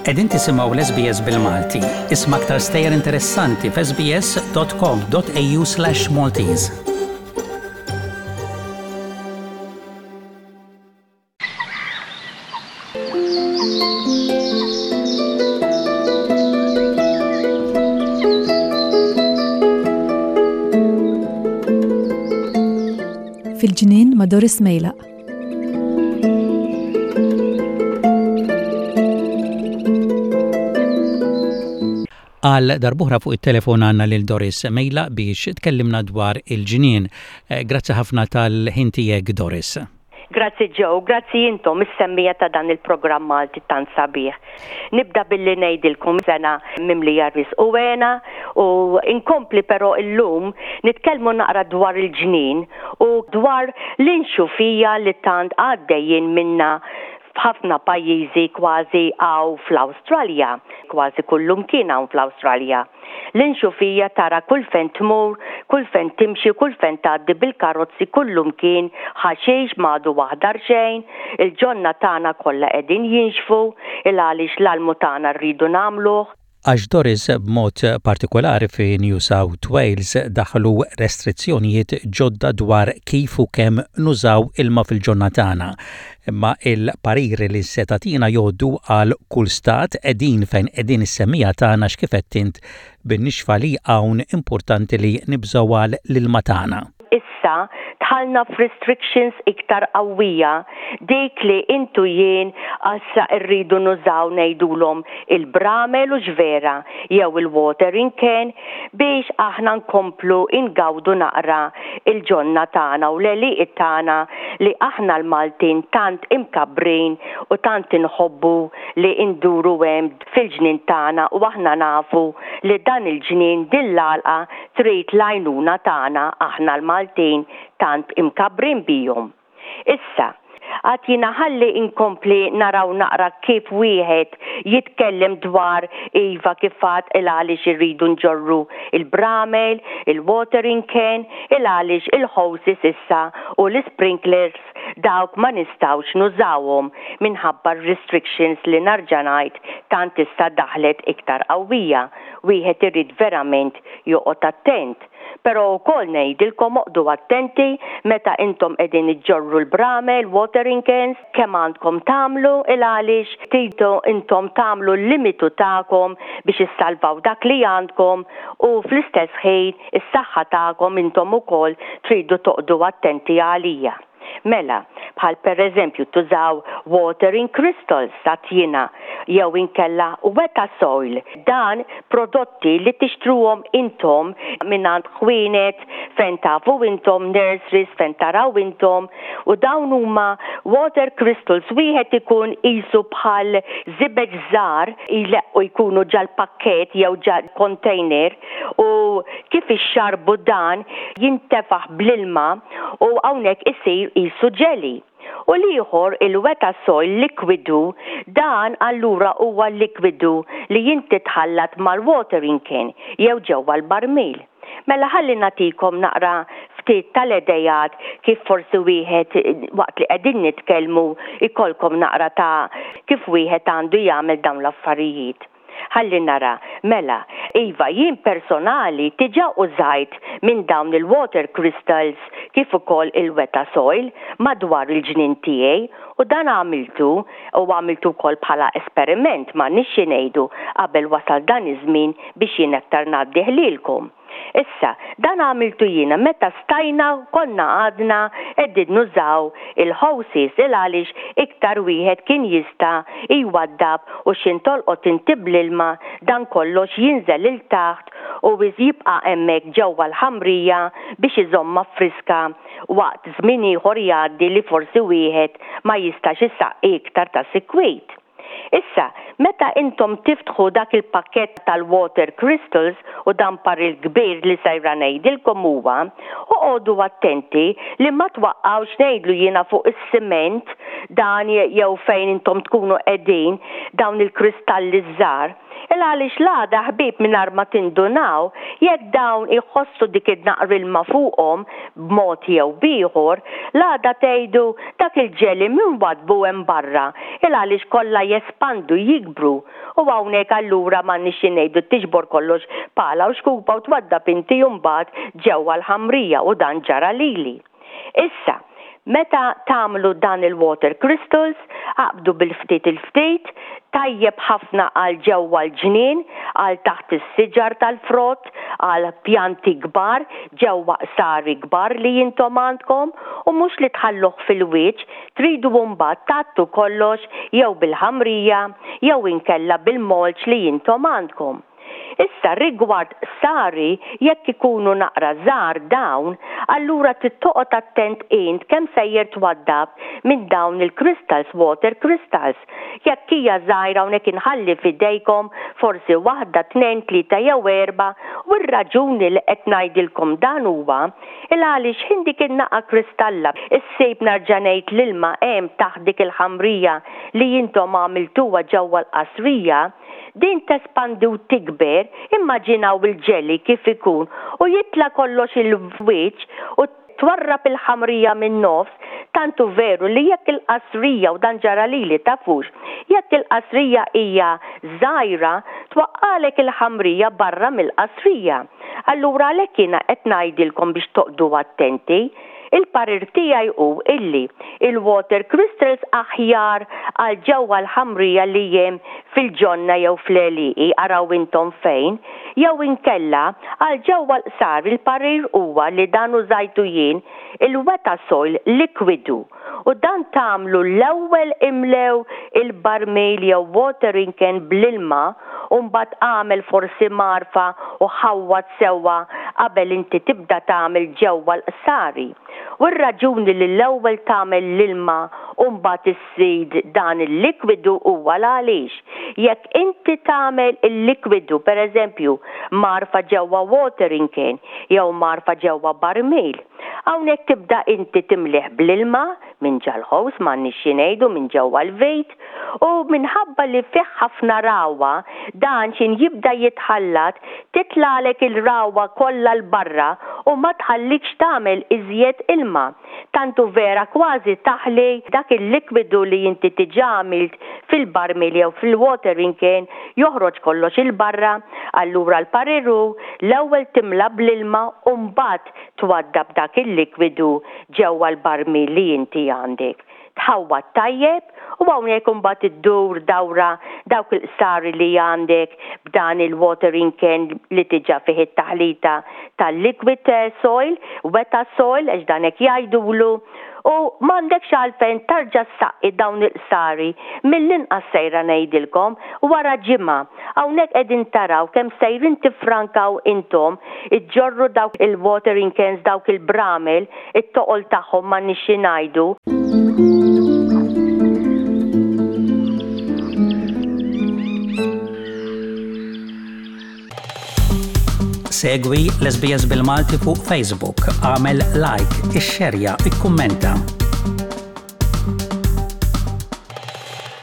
Qegħdin tisimgħu l-SBS bil-Malti. Isma' aktar stejjer interessanti f'sbs.com.au/Maltese. Fil-ġnien ma' Doris Mejlaq. Għal darb'oħra fuq it-telefon għandna lil Doris Mejlaq biex tkellimna dwar il-ġnien. Eh, grazzi ħafna tal-ħin tiegħek Doris. Grazzi Joe, grazzi intom is-semmiegħa ta' dan il-programm Malti tant sabiħ. Nibda billi ngħidilkom sena mimlija risq u hena u nkompli però illum nitkellmu naqra dwar il-ġnien u dwar l-inxufija li tant għaddejjin minnha f'ħafna pajjiżi kważi hawn fl-Awstralja, kważi kullumkien hawn fl-Awstralja. L-inxufija tara kull fejn tmur, kull fejn timxi, kull fejn tgħaddi bil-karozzi kullumkien ħaxix m'għadu aħdar xejn, il-ġonna tagħna kollha qegħdin jinxfu, il-għaliex l-almu tagħna rridu nagħmluh. Għax Doris b'mod partikolari fi New South Wales daħlu restrizzjonijiet ġodda dwar kif u kemm nużaw ilma fil-ġonna tagħna. Imma il-pariri li se tagħtina jgħoddu għal kull stat qegħdin fejn qegħdin is-semmiegħa tagħna x'kif għedt int bin-nixfa li hawn importanti li nibżgħu għal l-ilma tagħna. Issa dħalna f'restrictions iktar qawwija, dik li int u jien issa rridu nużaw ngħidulhom il-bramel hux vera jew il-watering can biex aħna nkomplu ngawdu naqra l-ġonna tagħna u l-għelieqi tagħna li aħna l-Maltin tant imkabbrin u tant inħobbu li nduru hemm fil-ġnien tagħna u aħna nafu li dan il-ġnien, din l-għalqa trid l-għajnuna tagħna aħna l-Maltin tant imkabbrin bihom. Issa, għad jiena ħalli nkompli naraw naqra kif wieħed jitkellem dwar iva kif għad il-għaliex irridu nġorru il-bramel, il-watering can, il-għaliex il-hoses issa u l-isprinklers dawk ma nistgħux nużawhom minħabba r-restrictions li narġa' ngħid tant issa daħlet iktar qawwija. Wieħed irid verament joqgħod attent. Però wkoll ngħidilkom oqgħdu attenti meta intom qegħdin iġġorru l-bramel, watering cans, kemm għandkom tagħmlu il-għaliex tridu intom tagħmlu l-limitu tagħkom biex issalvaw dak li għandkom u fl-istess ħin is-saħħa tagħkom intom ukoll tridu toqgħdu attenti għalija. Mela, bħal per eżempju tużaw watering crystals ta' tjina jew inkella weta soil. Dan prodotti li tixtruhom intom mingħand ħwienet fejn tafu intom, nurseries fejn taraw intom u dawn huma water crystals wieħed ikun qisu bħal żibeġ żgħar jleqqu jkunu ġal-pakkett jew ġa container u kif ixxarrbu dan jintefaħ bl-ilma u hawnhekk isir qisu ġeli. U l-ieħor il-weta soil likwidu dan allura huwa likwidu li inti tħallat mal-watering can jew ġewwa l-barmil. Mela ħalli nagħtikom naqra ftit tal-idejat kif forsi wieħed waqt li qegħdin nitkellmu jkollkom naqra ta' kif wieħed għandu jagħmel dawn l-affarijiet. Ħalli nara. Mela, iva, jien personali diġà użajt minn dawn il-water crystals kif ukoll il-weta soil madwar il-ġnien tiegħi u dan għamiltu u għamiltu wkoll bħala esperiment m'għandniex xi ngħidu qabel wasal dan iż-żmien biex jien aktar ngħaddih lilkom. Issa, dan għamiltu jiena meta stajna konna għadna qegħdin nużaw il-hoses il għaliex iktar wieħed kien jista' jwaddab u x'in tolqot inti bl-ilma dan kollox jinżel 'il taħt u jibqa' hemmhekk ġewwa l-ħamrija biex iżommha friska waqt żmien ieħor jgħaddi li forsi wieħed ma jistax isaqqi iktar ta' sikwit. Issa, meta intom tiftħu dak il-pakkett tal-water crystals, u dan paril kbir li sejra ngħidilkom huwa, oqogħdu attenti li ma twaqqgħux ngħidlu jiena fuq is-siment dan jew fejn intom tkunu qegħdin dawn il-kristalli ż-żgħar. Il għaliex l-għada ħbieb mingħajr ma tindunaw, jekk dawn iħossu dik id-naqra ilma fuqhom b'mod jew b'ieħor, l-għada tgħidu dak il-ġeli min waddbu hemm barra, il għaliex kollha jespandu, jikbru. U hawnhekk allura m'għandniex xi ngħidu tiġbor kollox pala u xkupa u twaddab inti mbagħad ġewwa l-ħamrija u dan ġara lili. Issa, meta tagħmlu dan il-water crystals, aqbdu bil-ftit il-ftit, tajjeb ħafna għal ġewwa l-ġnien, għal taħt is-siġar tal-frott, għal pjanti kbar, ġewwa qsari kbar li intom għandkom, u mhux li tħalluh fil-wiċċ, tridu mbagħad tgħattu kollox jew bil-ħamrija jew inkella bil-mulch li intom għandkom. Issa rigward qsari jekk ikunu naqra żgħar dawn, allura trid toqgħod attent int kemm sejjer twaddab minn dawn il-crystals, water crystals. Jekk hija żgħira hawnhekk inħalli f'idejkom forsi waħda, tnejn, tlieta jew erbgħa u r-raġuni li qed ngħidilkom dan huwa il għaliex ħin dik in-naqa kristalla ssib nerġa' ngħid l-ilma hemm taħt dik il-ħamrija li intom għamiltuha ġewwa l-qasrija, Din tespandi u tikber, immaġinaw il-ġeli kif ikun u jitla' kollox il-wiċċ u twarrab il-ħamrija min-nofs, tant hu veru li jekk il-qasrija, u dan ġara lili tafux, jekk il-qasrija hija żgħira twaqqagħlek il-ħamrija barra mill-qasrija. Allura għalhekk jiena qed ngħidilkom biex toqgħdu attenti. Il-parir tiegħi hu illi il-water crystals aħjar għal ġewwa l-ħamrija li hemm fil-ġonna jew fl-għelieqi, araw intom fejn, jew inkella għal ġewwa l-qsar il-parir huwa li dan użajtu jien, il-wetasoil likwidu u dan tagħmlu l-ewwel imlew il-barmil jew watering can bl-ilma u mbagħad agħmel forsi mgħarfa u ħawwad sewwa qabel inti tibda tagħmel ġewwa l-qsari. U r-raġuni li l-ewwel tagħmel l-ilma u mbagħad iżżid dan il-likwidu huwa l-għaliex jekk inti tagħmel il-likwidu pereżempju mgħarfa ġewwa watering can jew mgħarfa ġewwa barmil, Hawnhekk tibda inti timlih bl-ilma minn ġal-ħows m'għandniex xi ngħidu minn ġewwa l-vit u minħabba li fih ħafna ragħwa dan x'in jibda jitħallat titlagħlek il-ragħwa kollha 'l barra u ma tħallikx tagħmel iżjed ilma. Tant hu vera kważi taħli dak il-likwidu li inti diġà għamilt fil-barmil jew fil-watering can joħroġ kollox 'il barra. Allura l-parir hu l-ewwel timla bl-ilma u mbagħad Twaddab dak il-likwidu ġewwa l-barmil li inti għandek. Tħawwad tajjeb u hawnhekk imbagħad iddur dawra dawk il-qsari li għandek b'dan il-watering can li diġà fih it-taħlita tal-liquid soil, weta soil għax dan hekk jgħidulu, u m'għandekx għalfejn tarġa' ssaqqi dawn il-qsari mill-inqas sejra ngħidilkom wara ġimgħa. Hawnhekk qegħdin taraw kemm sejrin tiffrankaw intom iġġorru dawk il-watering cans, dawk il-bramel, it-toqol tagħhom m'għandniex xi ngħidu. Segwi l-SBS bil-Malti fuq Facebook, għamel like, ixxerja, ikkummenta.